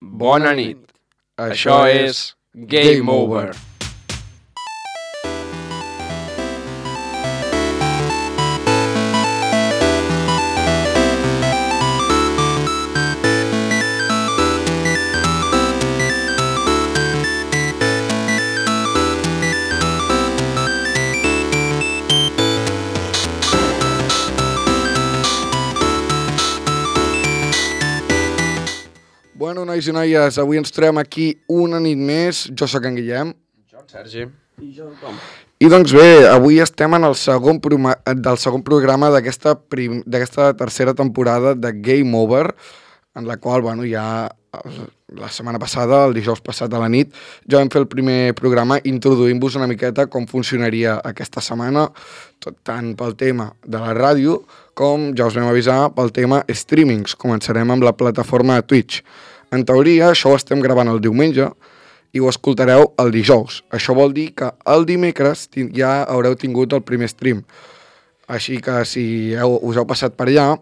Bona nit. Això és Game Over. Bueno, nois i noies, avui ens trobem aquí una nit més. Jo sóc en Guillem. Jo, en Sergi. I jo, com? I doncs bé, avui estem en el segon programa d'aquesta tercera temporada de Game Over, en la qual, bueno, ja la setmana passada, el dijous passat a la nit, ja vam fer el primer programa introduint-vos una miqueta com funcionaria aquesta setmana, tant pel tema de la ràdio com ja us vam avisar pel tema streamings. Començarem amb la plataforma Twitch. En teoria, això ho estem gravant el diumenge i ho escoltareu el dijous. Això vol dir que el dimecres ja haureu tingut el primer stream. Així que si us heu passat per allà,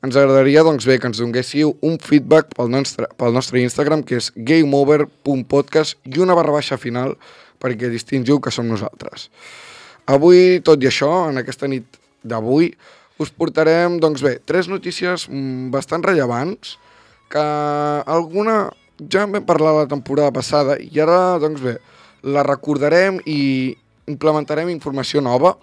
ens agradaria doncs bé que ens donguéssiu un feedback pel nostre Instagram, que és gameover.podcast i una / final perquè distingiu que som nosaltres. Avui, tot i això, en aquesta nit d'avui, us portarem, doncs bé, 3 notícies bastant rellevants, que alguna ja en vam parlar la temporada passada i ara, doncs bé, la recordarem i implementarem informació nova,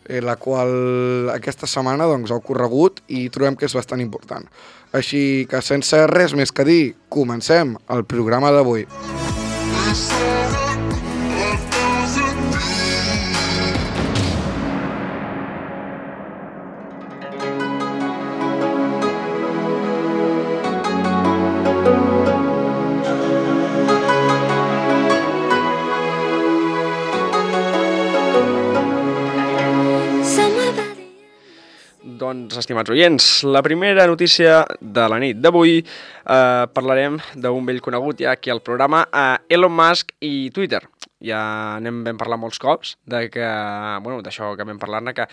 la qual aquesta setmana doncs, ha ocorregut i trobem que és bastant important. Així que sense res més que dir, comencem el programa d'avui. Doncs, estimats oients, la primera notícia de la nit d'avui parlarem d'un vell conegut ja aquí al programa, Elon Musk i Twitter. Ja vam parlar molts cops d'això que vam parlar-ne, que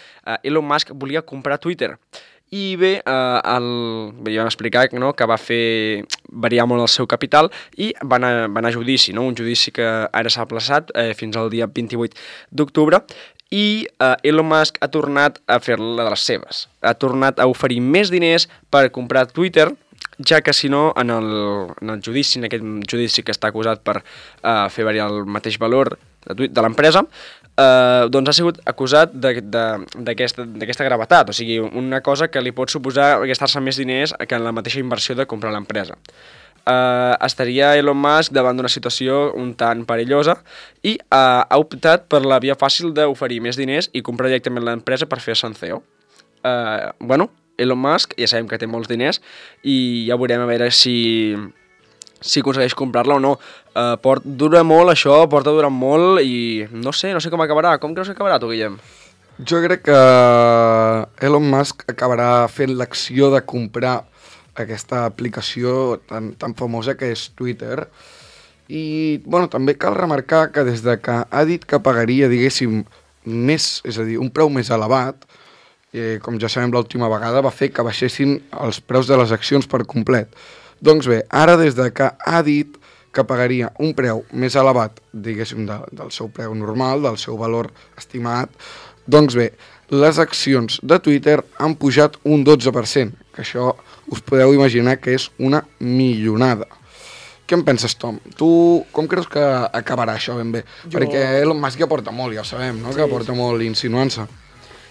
Elon Musk volia comprar Twitter. I bé, ja vam explicar que va fer variar molt el seu capital i van a judici, un judici que ara s'ha aplaçat fins al dia 28 d'octubre. I Elon Musk ha tornat a fer-la de les seves. Ha tornat a oferir més diners per comprar Twitter, ja que si no, en el judici, en aquest judici que està acusat per fer variar el mateix valor de l'empresa, doncs ha sigut acusat d'aquesta gravetat, o sigui, una cosa que li pot suposar gastar-se més diners que en la mateixa inversió de comprar l'empresa. Estaria Elon Musk davant d'una situació un tant perillosa i ha optat per la via fàcil d'oferir més diners i comprar directament l'empresa per fer-se en CEO. Elon Musk ja sabem que té molts diners i ja veurem a veure si aconsegueix comprar-la o no. Dura molt això, porta durant molt i no sé com acabarà. Com creus que acabarà tu, Guillem? Jo crec que Elon Musk acabarà fent l'acció de comprar aquesta aplicació tan famosa que és Twitter. I, també cal remarcar que des de que ha dit que pagaria, diguéssim, més, és a dir, un preu més elevat, com ja sabem l'última vegada, va fer que baixessin els preus de les accions per complet. Doncs bé, ara des de que ha dit que pagaria un preu més elevat, diguéssim, del seu preu normal, del seu valor estimat, doncs bé, les accions de Twitter han pujat un 12%, que això us podeu imaginar que és una millonada. Què en penses, Tom? Tu com creus que acabarà això ben bé? Perquè Elon Musk ja porta molt, ja ho sabem, no? Sí, que porta molt insinuant-se.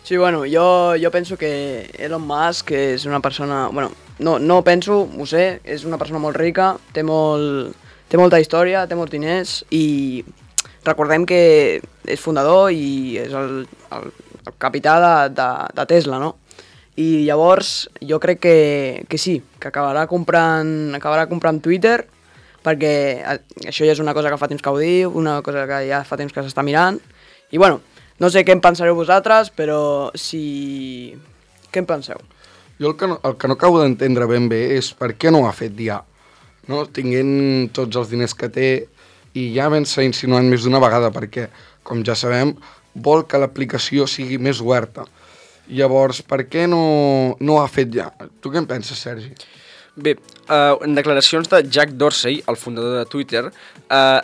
Sí, jo penso que Elon Musk és una persona... no penso, ho sé, és una persona molt rica, té molta història, té molts diners i recordem que és fundador i és el capità de Tesla, no? I llavors jo crec que sí, que acabarà comprant Twitter, perquè això ja és una cosa que fa temps que ho diu, una cosa que ja fa temps que s'està mirant, i no sé què en pensareu vosaltres, però què en penseu? Jo el que no acabo d'entendre ben bé és per què no ho ha fet ja, no? Tinguent tots els diners que té i ja s'ha insinuat més d'una vegada, perquè, com ja sabem, vol que l'aplicació sigui més oberta. Llavors, per què no ho ha fet ja? Tu què en penses, Sergi? Bé, en declaracions de Jack Dorsey, el fundador de Twitter,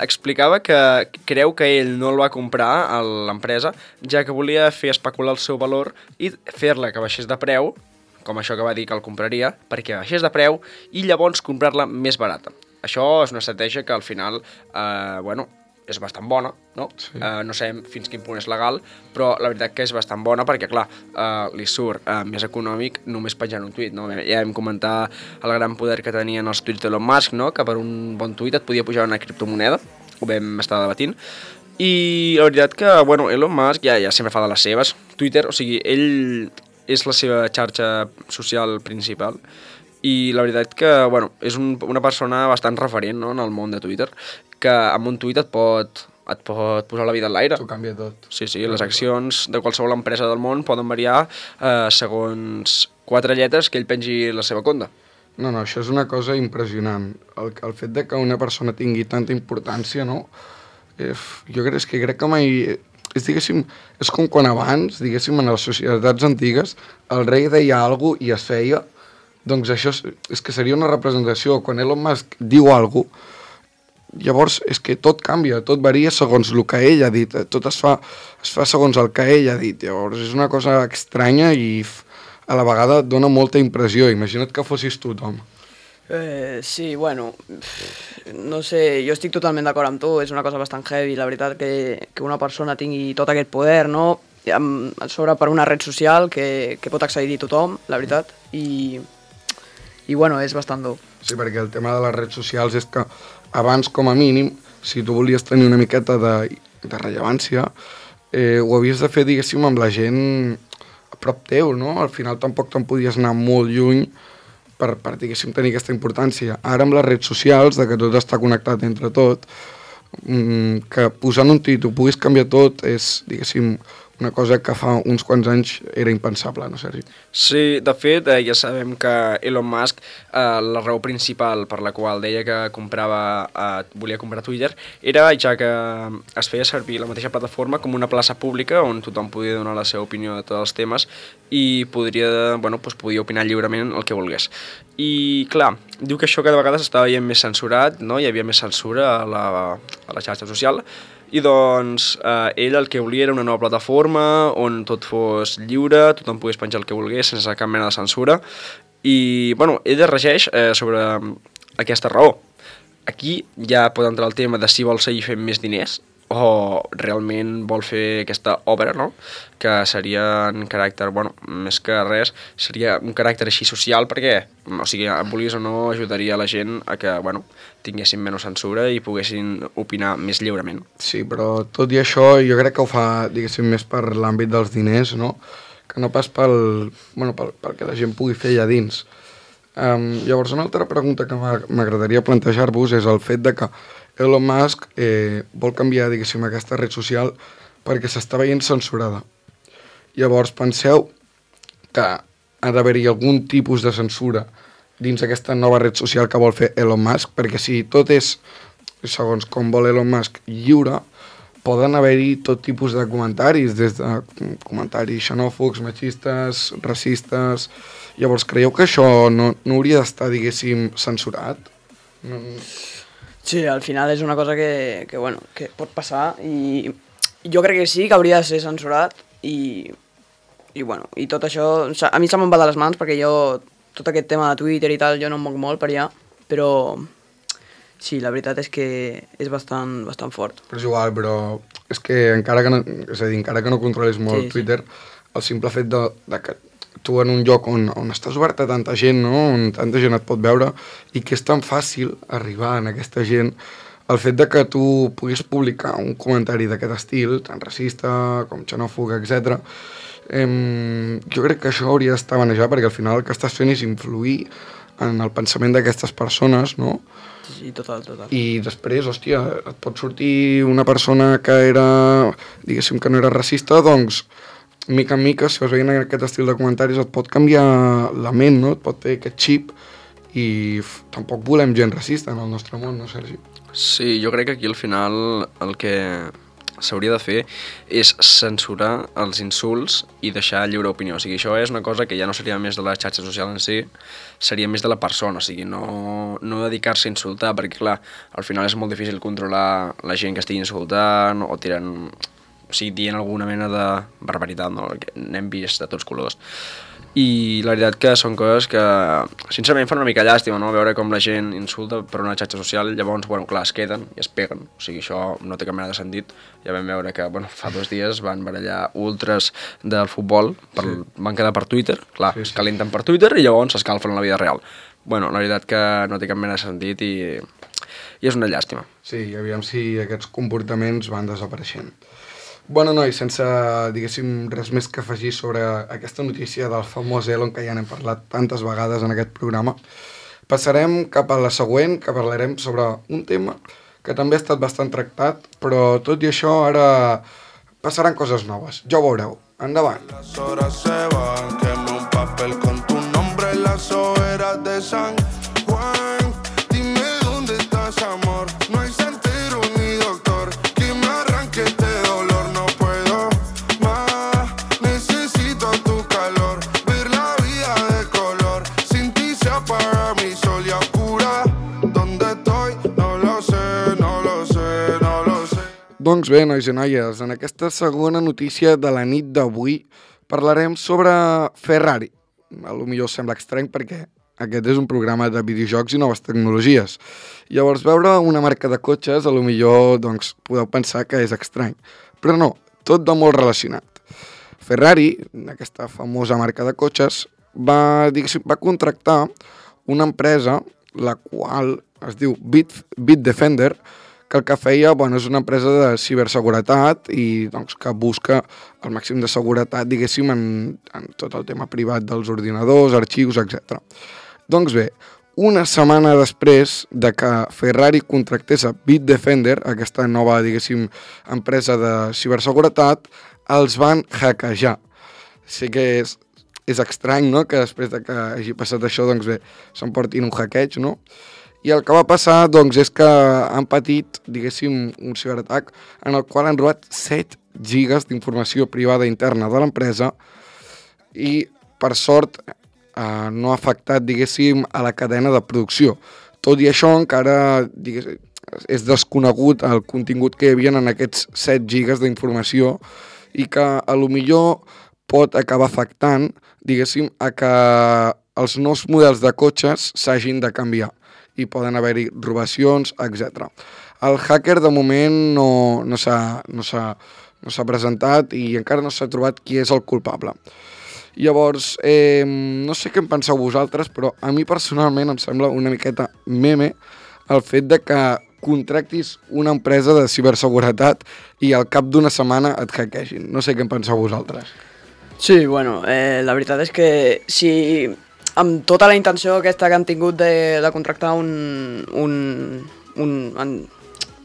explicava que creu que ell no el va comprar a l'empresa, ja que volia fer especular el seu valor i fer-la que baixés de preu, com això que va dir que el compraria, perquè baixés de preu i llavors comprar-la més barata. Això és una estratègia que al final, és bastant bona, no? Sí. No sabem fins quin punt és legal, però la veritat que és bastant bona perquè, clar, li surt més econòmic només penjant un tuit, no? Ja vam comentar el gran poder que tenien els tuits d'Elon Musk, no? Que per un bon tuit et podia pujar una criptomoneda, ho vam estar debatint, i la veritat que, Elon Musk ja sempre fa de les seves. Twitter, o sigui, ell és la seva xarxa social principal, i la veritat que, és una persona bastant referent, no?, en el món de Twitter, que amb un tuit et pot posar la vida en l'aire. T'ho canvia tot. Sí, les accions de qualsevol empresa del món poden variar segons 4 lletres que ell pengi la seva compte. No, això és una cosa impressionant. El fet de que una persona tingui tanta importància, no? Jo crec que mai... És com quan abans, diguéssim, en les societats antigues, el rei deia alguna cosa i es feia, doncs això és que seria una representació. Quan Elon Musk diu alguna cosa, llavors és que tot canvia, tot varia segons el que ell ha dit, tot es fa segons el que ell ha dit. Llavors és una cosa estranya i a la vegada dona molta impressió. Imagina't que fossis tu, Tom. Sí, no sé, jo estic totalment d'acord amb tu, és una cosa bastant heavy, la veritat, que una persona tingui tot aquest poder, no? Sobre per una red social que pot accedir tothom, la veritat, i és bastant dur. Sí, perquè el tema de les redes socials és que abans, com a mínim, si tu volies tenir una miqueta de rellevància, ho havies de fer, diguéssim, amb la gent a prop teu, no? Al final tampoc te'n podies anar molt lluny per diguéssim, tenir aquesta importància. Ara amb les redes socials, de que tot està connectat entre tot, que posant un tuit ho puguis canviar tot és, diguéssim, una cosa que fa uns quants anys era impensable, no, Sergi? Sí, de fet, ja sabem que Elon Musk, la raó principal per la qual deia que volia comprar Twitter, era ja que es feia servir la mateixa plataforma com una plaça pública on tothom podia donar la seva opinió de tots els temes i podia opinar lliurement el que volgués. I, clar, diu que això cada vegada s'estava veient més censurat, no? Hi havia més censura a la xarxa social, i doncs ell el que volia era una nova plataforma on tot fos lliure, tothom pogués penjar el que volgués sense cap mena de censura, i ell es regeix sobre aquesta raó. Aquí ja pot entrar el tema de si vol seguir fent més diners o realment vol fer aquesta obra, no? Que seria en caràcter, més que res, seria un caràcter així social perquè, vulguis o no, ajudaria la gent a que, tinguessin menys censura i poguessin opinar més lliurement. Sí, però tot i això jo crec que ho fa, diguéssim, més per l'àmbit dels diners, no? Que no pas pel que la gent pugui fer allà dins. Llavors, una altra pregunta que m'agradaria plantejar-vos és el fet de que Elon Musk vol canviar, diguéssim, aquesta red social perquè s'està veient censurada. Llavors, penseu que ha d'haver-hi algun tipus de censura dins aquesta nova red social que vol fer Elon Musk, perquè si tot és, segons com vol Elon Musk, lliure, poden haver-hi tot tipus de comentaris, des de comentaris xenòfobs, machistes, racistes. Llavors, creieu que això no hauria d'estar, diguéssim, censurat? Sí, al final és una cosa que pot passar i jo crec que sí, que hauria de ser censurat i tot això, a mi se me'n va de les mans perquè jo, tot aquest tema de Twitter i tal, jo no em moc molt per allà, però sí, la veritat és que és bastant fort. Però és igual, però és que encara que no controlis molt Twitter, el simple fet de que tu en un lloc on estàs obert a tanta gent, no? On tanta gent et pot veure i que és tan fàcil arribar a aquesta gent, el fet de que tu puguis publicar un comentari d'aquest estil, tan racista com xenòfob, etc. Jo crec que això hauria d'estar manejat perquè al final el que estàs fent és influir en el pensament d'aquestes persones, no? Sí, total. I després, hòstia, et pot sortir una persona que era, diguéssim, que no era racista, doncs mica en mica, si vas veient aquest estil de comentaris, et pot canviar la ment, no? Et pot fer aquest xip i tampoc volem gent racista en el nostre món, no, Sergi? Sí, jo crec que aquí al final el que s'hauria de fer és censurar els insults i deixar lliure opinió. O sigui, això és una cosa que ja no seria més de la xarxa social en si, seria més de la persona, o sigui, no dedicar-se a insultar, perquè clar, al final és molt difícil controlar la gent que estigui insultant o tirant, o sigui, dient alguna mena de barbaritat, no? N'hem vist de tots colors. I la veritat que són coses que sincerament fan una mica llàstima, no? Veure com la gent insulta per una xarxa social, llavors, bueno, clar, es queden i es peguen, o sigui, això no té cap mena de sentit. Ja vam veure que, bueno, fa 2 dies van barallar ultres del futbol, van quedar per Twitter, clar, es calenten per Twitter i llavors s'escalfen en la vida real. Bueno, la veritat que no té cap mena de sentit i és una llàstima. Sí, aviam si aquests comportaments van desapareixent. Bueno, nois, sense, diguéssim, res més que afegir sobre aquesta notícia del famós Elon, que ja n'hem parlat tantes vegades en aquest programa, passarem cap a la següent, que parlarem sobre un tema que també ha estat bastant tractat, però tot i això ara passaran coses noves. Ja ho veureu. Endavant. Las horas se van, quemé un papel con tu nombre en las hogueras de San Juan. Dime dónde estás, amor, no hay santero ni doctor que me arranque este dolor, no puedo más, necesito tu calor, ver la vida de color, sin ti se apaga mi sol y a oscura, ¿dónde estoy? No lo sé, no lo sé, no lo sé. Doncs bé, nois i noies, en aquesta segona notícia de la nit d'avui parlarem sobre Ferrari. A lo millor sembla estrany perquè aquest és un programa de videojocs i noves tecnologies. Llavors, veure una marca de cotxes, a lo millor doncs, podeu pensar que és estrany. Però no, tot de molt relacionat. Ferrari, aquesta famosa marca de cotxes, va contractar una empresa, la qual es diu Bitdefender, que el que feia és una empresa de ciberseguretat i doncs, que busca el màxim de seguretat, diguéssim, en tot el tema privat dels ordinadors, arxius, etc. Doncs bé, una setmana després de que Ferrari contractés a Bitdefender, aquesta nova, diguéssim, empresa de ciberseguretat, els van hackejar. Sí que és estrany, no?, que després de que hagi passat això, doncs bé, s'emportin un hackeig, no? I el que va passar, doncs, és que han patit, diguéssim, un ciberatac en el qual han robat 7 gigas d'informació privada interna de l'empresa i, per sort, no ha afectat, diguéssim, a la cadena de producció. Tot i això, encara és desconegut el contingut que hi havia en aquests 7 gigas d'informació i que, a lo millor, pot acabar afectant, diguéssim, a que els nous models de cotxes s'hagin de canviar i poden haver-hi robacions, etc. El hacker, de moment, no s'ha presentat i encara no s'ha trobat qui és el culpable. Llavors, no sé què en penseu vosaltres, però a mi personalment em sembla una miqueta meme el fet de que contractis una empresa de ciberseguretat i al cap d'una setmana et hackegin. No sé què en penseu vosaltres. Sí, bueno, la veritat és que si amb tota la intenció aquesta que han tingut de contractar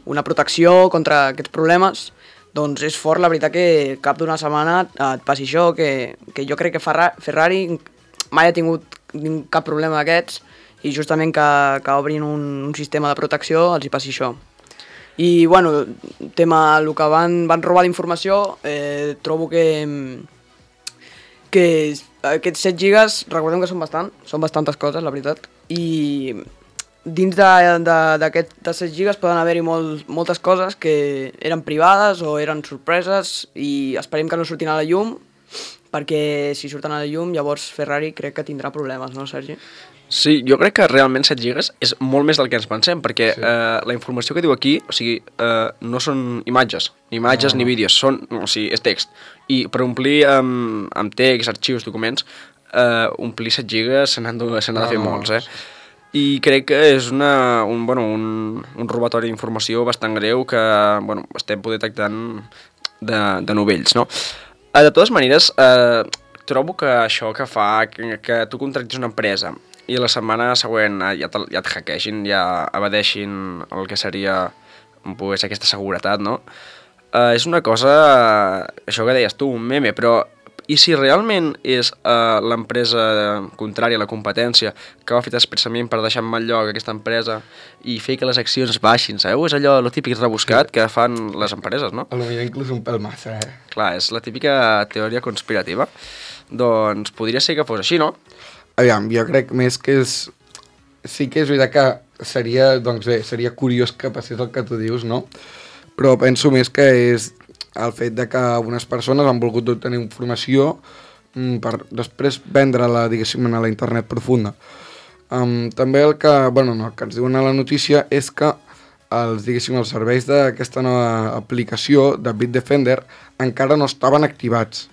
una protecció contra aquests problemes, doncs és fort, la veritat, que cap d'una setmana et passi això, que jo crec que Ferrari mai ha tingut cap problema d'aquests i justament que obrin un sistema de protecció els hi passi això. I, bueno, tema el que van robar d'informació, trobo que aquests 7 gigas, recordem que són bastantes coses, la veritat, i dins d'aquests 7 gigas poden haver-hi moltes coses que eren privades o eren sorpreses i esperem que no surtin a la llum, perquè si surten a la llum llavors Ferrari crec que tindrà problemes, no, Sergi? Sí, jo crec que realment 7 gigas és molt més del que ens pensem, perquè la informació que diu aquí, o sigui, no són imatges ni vídeos, o sigui, és text. I per omplir amb text, arxius, documents, omplir 7 gigas se n'ha de fer molts, I crec que és un robatori d'informació bastant greu que estem poder detectant de novells, no? De totes maneres, trobo que això que fa que tu contractis una empresa i la setmana següent ja et hackegin, ja evadeixin el que seria aquesta seguretat, no? És una cosa, això que deies tu, un meme, però I si realment és l'empresa contrària a la competència que ho ha fet expressament per deixar en mal lloc aquesta empresa i fer que les accions baixin, sabeu? És allò, lo típic rebuscat que fan les empreses, no? A lo millor inclús un pèl massa, Clar, és la típica teoria conspirativa. Doncs podria ser que fos així, no? Aviam, jo crec més que és... Sí que és veritat que seria, doncs bé, seria curiós que passés el que tu dius, no? Però penso més que és el fet de que algunes persones han volgut obtenir informació per després vendre-la, diguéssim, a la internet profunda. També el que, bueno, no, el que ens diuen a la notícia és que els serveis d'aquesta nova aplicació de Bitdefender encara no estaven activats.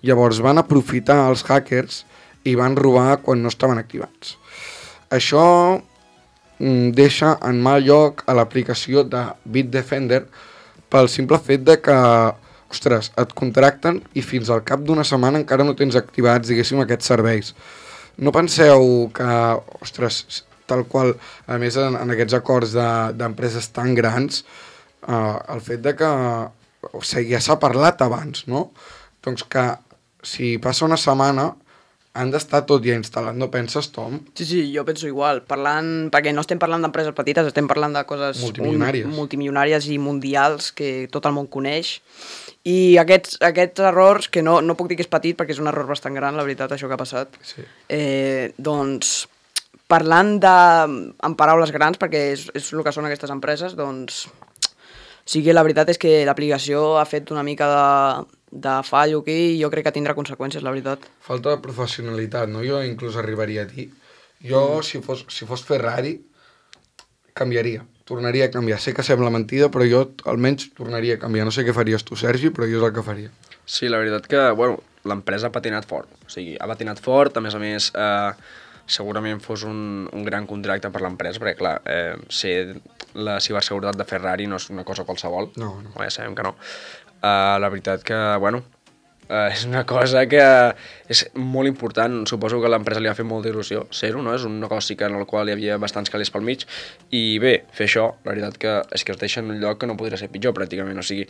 Llavors van aprofitar els hackers i van robar quan no estaven activats. Això deixa en mal lloc a l'aplicació de Bitdefender pel simple fet de que, ostres, et contracten i fins al cap d'una setmana encara no tens activats, diguéssim, aquests serveis. No penseu que, ostres, tal qual, a més en aquests acords d'empreses tan grans, el fet de que, o sigui, ja s'ha parlat abans, no? Doncs que si passa una setmana han d'estar tot ja instal·lat, no penses, Tom? Sí, jo penso igual, perquè no estem parlant d'empreses petites, estem parlant de coses multimilionàries i mundials que tot el món coneix, i aquests errors, que no puc dir que és petit perquè és un error bastant gran, la veritat, això que ha passat, sí. Doncs, parlant en paraules grans, perquè és el que són aquestes empreses, doncs, sí que la veritat és que l'aplicació ha fet una mica de fallo aquí i jo crec que tindrà conseqüències, la veritat. Falta de professionalitat, no? Jo inclús arribaria a dir. Jo, si fos Ferrari, canviaria. Tornaria a canviar. Sé que sembla mentida, però jo almenys tornaria a canviar. No sé què faries tu, Sergi, però jo és el que faria. Sí, la veritat que, bueno, l'empresa ha patinat fort. O sigui, ha patinat fort, a més, segurament fos un gran contracte per l'empresa, perquè, clar, ser la ciberseguretat de Ferrari no és una cosa qualsevol. No. Ja sabem que no. La veritat que, bueno, és una cosa que és molt important. Suposo que a l'empresa li ha fet molta il·lusió ser-ho, no? És un negoci en el qual hi havia bastants calés pel mig i bé, fer això, la veritat que és que es deixa en un lloc que no podria ser pitjor pràcticament, o sigui,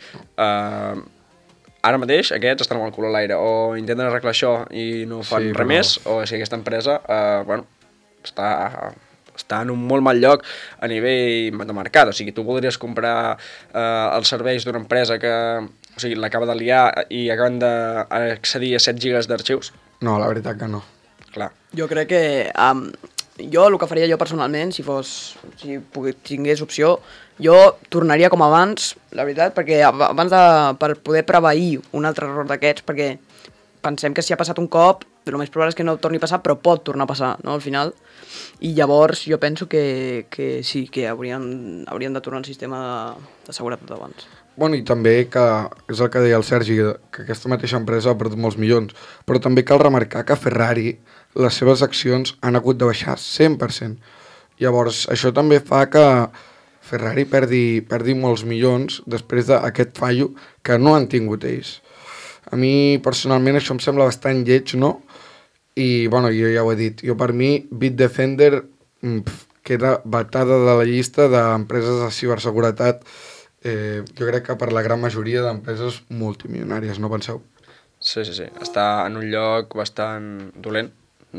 ara mateix aquests estan amb el cul a l'aire, o intenten arreglar això i no fan res més, o sigui, aquesta empresa, bueno, està en un molt mal lloc a nivell de mercat, o sigui, tu voldries comprar els serveis d'una empresa que, o sigui, l'acaba de liar i acaben d'accedir a 7 gigas d'arxius? No, la veritat que no. Clar. Jo crec que jo el que faria jo personalment, si tingués opció, jo tornaria com abans, la veritat, perquè per poder preveir un altre error d'aquests, perquè pensem que si ha passat un cop, el més probable és que no torni a passar, però pot tornar a passar, no?, al final. I llavors jo penso que sí, que haurien de tornar al sistema de seguretat d'abans. Bueno, i també que, és el que deia el Sergi, que aquesta mateixa empresa ha perdut molts milions, però també cal remarcar que Ferrari, les seves accions han hagut de baixar 100%. Llavors, això també fa que Ferrari perdi molts milions després d'aquest fallo que no han tingut ells. A mi, personalment, això em sembla bastant lleig, no? I, bueno, jo ja ho he dit, jo per mi, Bitdefender queda vetada de la llista d'empreses de ciberseguretat, jo crec que per la gran majoria d'empreses multimilionàries, no penseu? Sí, està en un lloc bastant dolent,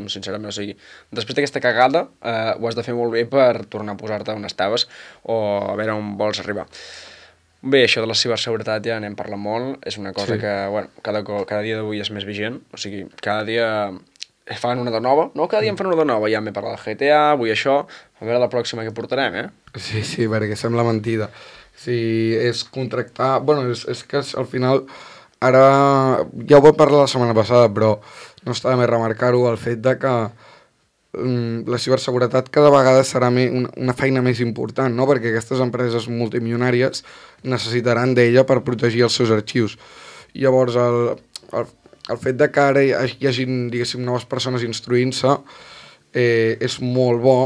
sincerament, o sigui, després d'aquesta cagada ho has de fer molt bé per tornar a posar-te on estaves o a veure on vols arribar. Bé, això de la ciberseguretat ja n'hem parlat molt, és una cosa que, bueno, cada dia d'avui és més vigent, o sigui, cada dia fan una de nova, no? Cada dia en fan una de nova, ja m'he parlat del GTA, avui això, a veure la pròxima que portarem, Sí, perquè sembla mentida. Si és contractar... Bueno, és que al final, ara, ja ho vaig parlar la setmana passada, però no està de més remarcar-ho, el fet de que la ciberseguretat cada vegada serà una feina més important, no? Perquè aquestes empreses multimilionàries necessitaran d'ella per protegir els seus arxius. Llavors, el fet de que ara hi hagi, diguéssim, noves persones instruint-se és molt bo,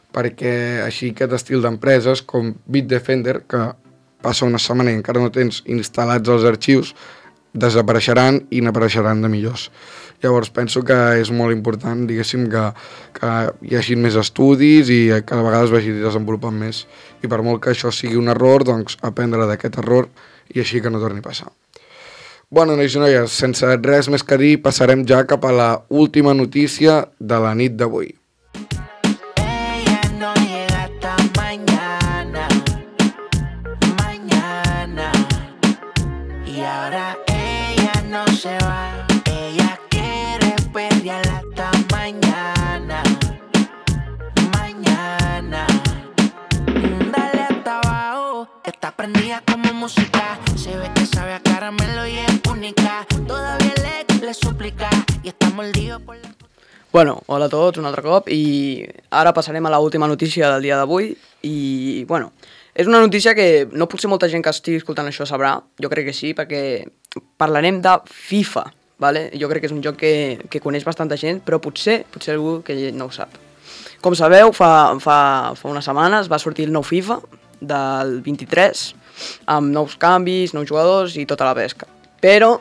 perquè així aquest estil d'empreses com Bitdefender, que passa una setmana i encara no tens instal·lats els arxius, desapareixeran i n'apareixeran de millors. Llavors penso que és molt important, diguéssim, que hi hagi més estudis i que a vegades vagi desenvolupant més. I per molt que això sigui un error, doncs aprendre d'aquest error i així que no torni a passar. Bueno, nois i noies, sense res més que dir, passarem ja cap a la última notícia de la nit d'avui. Ella no llega hasta mañana, mañana. Y ahora ella no se va, ella quiere perrear hasta mañana, mañana. Dale hasta abajo, está prendida como música, se ve que sabe a caramelo y es única. Todavía le suplica y está mordido por la... Bueno, hola a tots un altre cop i ara passarem a l'última notícia del dia d'avui i, bueno, és una notícia que no potser molta gent que estigui escoltant això sabrà, jo crec que sí, perquè parlarem de FIFA, ¿vale? Jo crec que és un joc que coneix bastanta gent, però potser algú que no ho sap. Com sabeu, fa unes setmanes va sortir el nou FIFA del 23, amb nous canvis, nous jugadors i tota la pesca. Però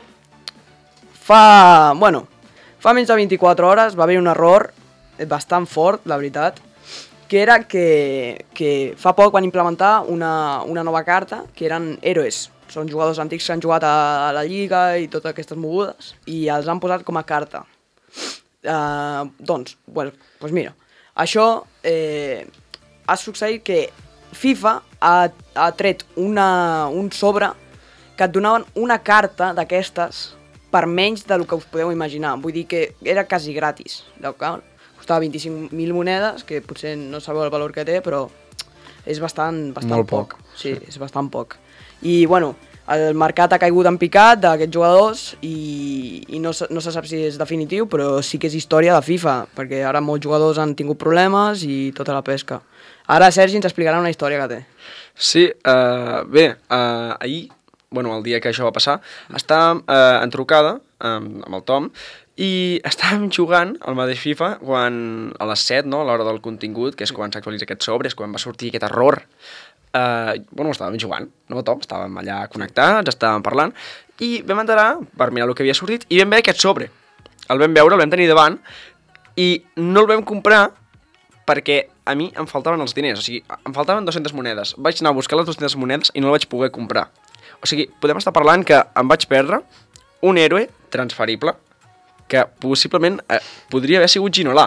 fa menys de 24 hores va haver un error bastant fort, la veritat, que era que fa poc van implementar una nova carta, que eren héroes. Són jugadors antics que han jugat a la Lliga i totes aquestes mogudes, i els han posat com a carta. Doncs mira, això ha succeït que FIFA ha tret un sobre que et donaven una carta d'aquestes per menys del que us podeu imaginar. Vull dir que era quasi gratis. Costava 25.000 monedes, que potser no sabeu el valor que té, però és bastant poc. Sí, és bastant poc. I, bueno, el mercat ha caigut en picat d'aquests jugadors i no se sap si és definitiu, però sí que és història de FIFA, perquè ara molts jugadors han tingut problemes i tota la pesca. Ara Sergi ens explicarà una història que té. Sí, ahir, el dia que això va passar, estàvem en trucada amb el Tom i estàvem jugant al mateix FIFA quan a les 7, no, a l'hora del contingut, que és quan s'actualitza aquest sobre, és quan va sortir aquest error. Estàvem jugant, no, Tom? Estàvem allà connectats, estàvem parlant, i vam entrar per mirar el que havia sortit i vam veure aquest sobre. El vam veure, el vam tenir davant i no el vam comprar perquè a mi em faltaven els diners, o sigui, em faltaven 200 monedes. Vaig anar a buscar les 200 monedes i no la vaig poder comprar. O sigui, podem estar parlant que em vaig perdre un héroe transferible que possiblement podria haver sigut Ginola.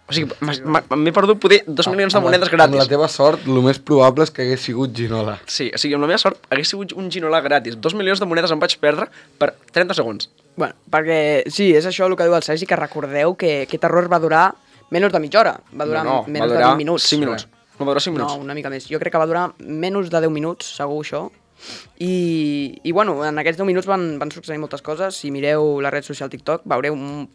O sigui, m'he perdut poder 2 milions de monedes gratis. Amb la teva sort, el més probable és que hagués sigut Ginola. Sí, o sigui, amb la meva sort hagués sigut un Ginola gratis. 2 milions de monedes em vaig perdre per 30 segons. Bueno, perquè sí, és això el que diu el Sergi, que recordeu que aquest error va durar menys de mitja hora. Va durar menys de 20 minuts. 5 minuts. No va durar 5 minuts? No, una mica més. Jo crec que va durar menys de 10 minuts, segur això. I en aquests 10 minuts van succeir moltes coses. Si mireu la red social TikTok, veureu un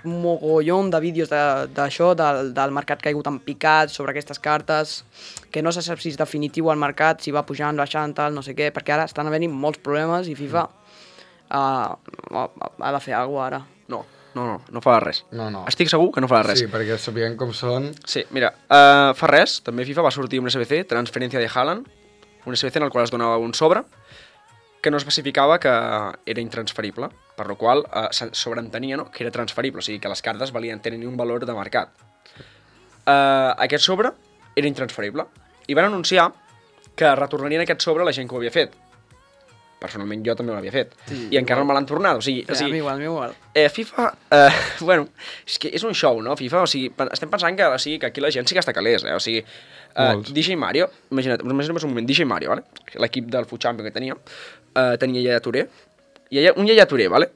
mogollon de vídeos d'això, del mercat caigut en picat sobre aquestes cartes, que no se sap si és definitiu al mercat, si va pujant, baixant, tal, no sé què, perquè ara estan havent-hi molts problemes i FIFA ha de fer alguna cosa ara. No farà res. No. Estic segur que no farà res. Sí, perquè sabien com són... Sí, mira, fa res, també FIFA va sortir un SBC, transferència de Haaland, un SBC en el qual es donava un sobre que no especificava que era intransferible, per la qual sobreentenia que era transferible, o sigui que les cartes tenien un valor de mercat. Aquest sobre era intransferible i van anunciar que retornarien aquest sobre a la gent que ho havia fet. Personalment jo també ho havia fet. Sí, i encara no me l'han tornat. O sigui, a mi igual. FIFA, és que és un show, no? FIFA, o sigui, estem pensant que aquí la gent sí que està calés, o sigui, DJ Mario, imagina't un moment, DJ Mario, vale? L'equip del FUT Champions que tenia Yaya Touré, un Yaya Touré, vale?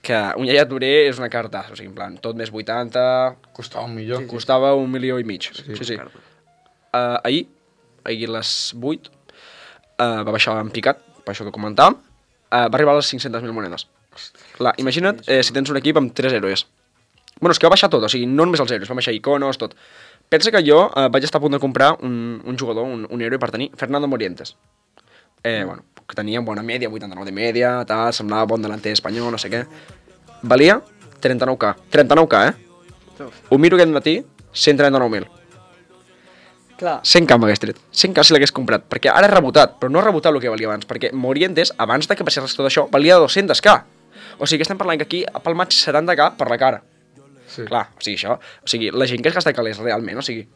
Que un Yaya Touré és una carta, o sigui, en plan, tot més 80... Costava $1 milió. Costava $1,5 milió. Sí. Ahir a les 8, va baixar en picat, per això que comentàvem, va arribar a les 500.000 monedes. Clar, imagina't si tens un equip amb 3 héroes. Bueno, és que va baixar tot, o sigui, no només els héroes, va baixar iconos, tot. Pensa que jo vaig estar a punt de comprar un jugador, un héroe per tenir Fernando Morientes. Que tenia bona mèdia, 89 de mèdia, tal, semblava bon delanter espanyol, no sé què. Valia 39k. 39k, Ho miro aquest matí, 139.000. Clar. 100k m'hagués tret. 100k si l'hagués comprat, perquè ara és rebotat, però no és rebotat el que valia abans, perquè Morientes, abans de que passés tot això, valia 200k. O sigui que estem parlant que aquí ha palmat 70k per la cara. Sí. Clar, o sigui, això... O sigui, la gent que es gasta calés realment, o sigui,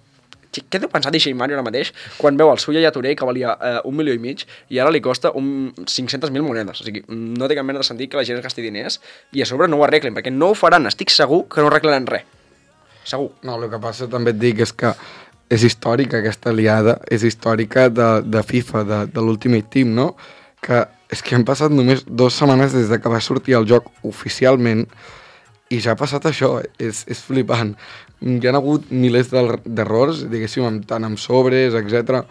què deu pensar DJ Mario ara mateix quan veu el seu Yaya Touré que valia 1,5 milions i ara li costa 500.000 monedes? O sigui, no té cap mena de sentit que la gent es gasti diners i a sobre no ho arreglen, perquè no ho faran, estic segur que no arreglaran res. Segur. No, el que passa també et dic és que és històrica aquesta aliada, és històrica de FIFA, de l'Ultimate Team, no? Que és que han passat només 2 setmanes des de que va sortir el joc oficialment i ja ha passat això, és flipant. Hi ha hagut milers d'errors, diguéssim, tant amb sobres, etc.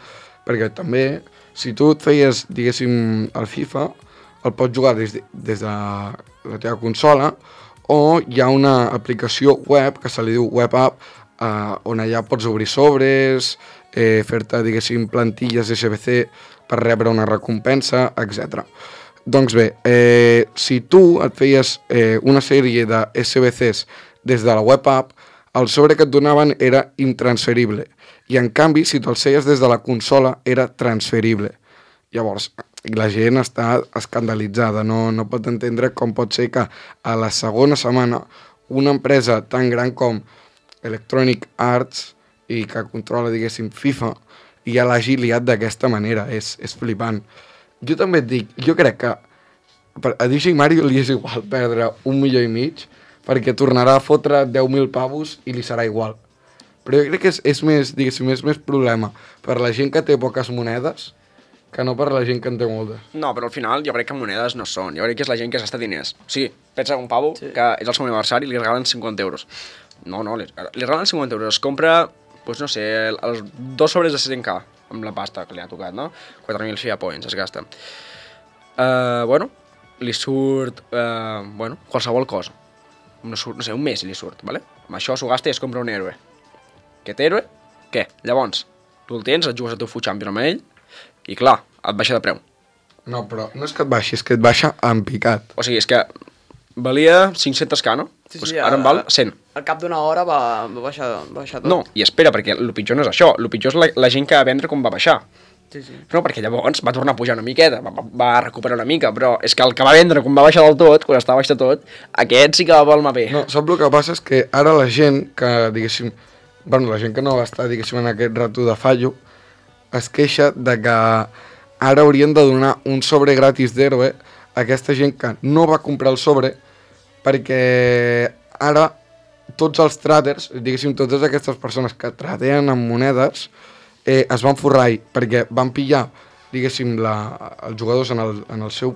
Perquè també, si tu et feies, diguéssim, el FIFA, el pots jugar des de la teva consola, o hi ha una aplicació web que se li diu Web App, on allà pots obrir sobres, fer-te, diguéssim, plantilles SBC per rebre una recompensa, etc. Doncs bé, si tu et feies una sèrie de SBCs des de la Web App, el sobre que et donaven era intransferible. I en canvi, si te'l feies des de la consola, era transferible. Llavors, la gent està escandalitzada, no pot entendre com pot ser que a la segona setmana una empresa tan gran com Electronic Arts i que controla, diguéssim, FIFA, ja l'hagi liat d'aquesta manera. És flipant. Jo també et dic, jo crec que a DJ Mario li és igual perdre 1,5 milions perquè tornarà a fotre 10.000 pavos i li serà igual. Però jo crec que és més, diguéssim, és més problema per la gent que té poques monedes que no per la gent que en té moltes. No, però al final jo crec que monedes no són. Jo crec que és la gent que s'està diners. O sigui, pensa un pavo que és el seu aniversari i li regalen 50 euros. No, li regalen 50 euros. Es compra, doncs no sé, els 2 sobres de 100k amb la pasta que li ha tocat, no? 4.000 FIA Points es gasta. Li surt, qualsevol cosa. No sé, un mes li surt, ¿vale? Amb això s'ho gasta i es compra un héroe. Aquest héroe, què? Llavors, tu el tens, et jugues a tu Food Champion amb ell i clar, et baixa de preu. No, però no és que et baixi, és que et baixa en picat. O sigui, és que valia 500k, no? Sí, ara en val 100. Al cap d'una hora va baixar tot. No, i espera, perquè el pitjor no és això. El pitjor és la gent que va vendre com va baixar. Sí. No, perquè llavors va tornar a pujar una miqueta, va recuperar una mica, però és que el que va vendre com va baixar del tot, quan estava baix de tot, aquest sí que va palmar bé. No, saps el que passa? És que ara la gent que, diguéssim, la gent que no va estar, diguéssim, en aquest rato de fallo, es queixa de que ara haurien de donar un sobre gratis d'héroe a aquesta gent que no va comprar el sobre perquè ara tots els traders, diguéssim, totes aquestes persones que tradeen amb monedes es van forrar perquè van pillar, diguéssim, els jugadors en el seu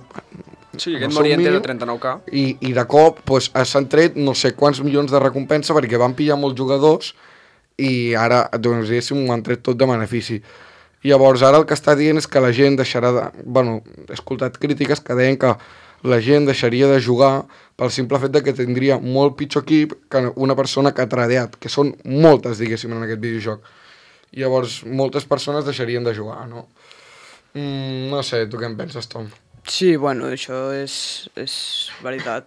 Sí, aquest Moriente de 39k. I de cop s'han tret no sé quants milions de recompensa perquè van pillar molts jugadors i ara, doncs, diguéssim, ho han tret tot de benefici. I llavors ara el que està dient és que la gent deixarà de... he escoltat crítiques que deien que la gent deixaria de jugar pel simple fet de que tindria molt pitjor equip que una persona que ha tradeat, que són moltes, diguéssim, en aquest videojoc. I llavors moltes persones deixarien de jugar, no? No sé, tu què en penses, Tom? Sí, bueno, això és veritat.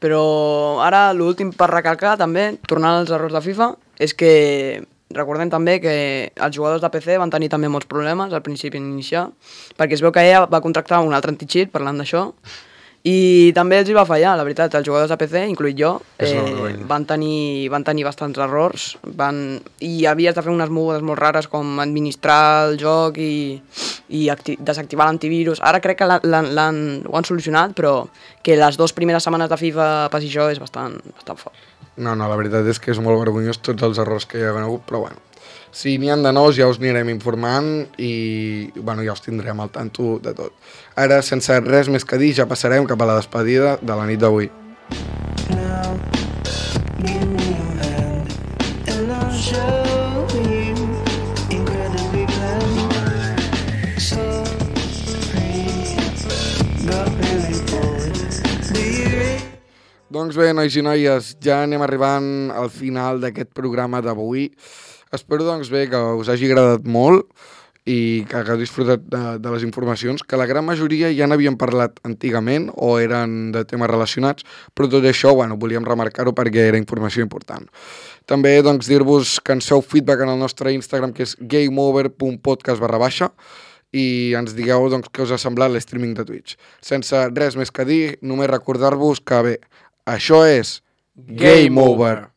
Però ara l'últim per recalcar també, tornant als errors de FIFA, és que recordem també que els jugadors de PC van tenir també molts problemes al principi inicial, perquè es veu que ella va contractar un altre anti-cheat parlant d'això, i també els hi va fallar, la veritat, els jugadors de PC, incluït jo, van tenir bastants errors, i havies de fer unes mogudes molt rares com administrar el joc i desactivar l'antivirus. Ara crec que ho han solucionat, però que les 2 primeres setmanes de FIFA pas i jo és bastant fort. No, la veritat és que és molt vergonyós tots els errors que hi ha hagut, però bueno, si n'hi ha de nous ja us anirem informant i ja us tindrem al tanto de tot. Ara, sense res més que dir, ja passarem cap a la despedida de la nit d'avui. Doncs bé, nois i noies, ja anem arribant al final d'aquest programa d'avui. Espero, doncs bé, que us hagi agradat molt i que hagueu disfrutat de les informacions, que la gran majoria ja n'havien parlat antigament o eren de temes relacionats, però tot això, volíem remarcar-ho perquè era informació important. També, doncs, dir-vos que ens feu feedback en el nostre Instagram, que és gameover.podcast/, i ens digueu, doncs, què us ha semblat l'streaming de Twitch. Sense res més que dir, només recordar-vos que, bé, això és Game Over.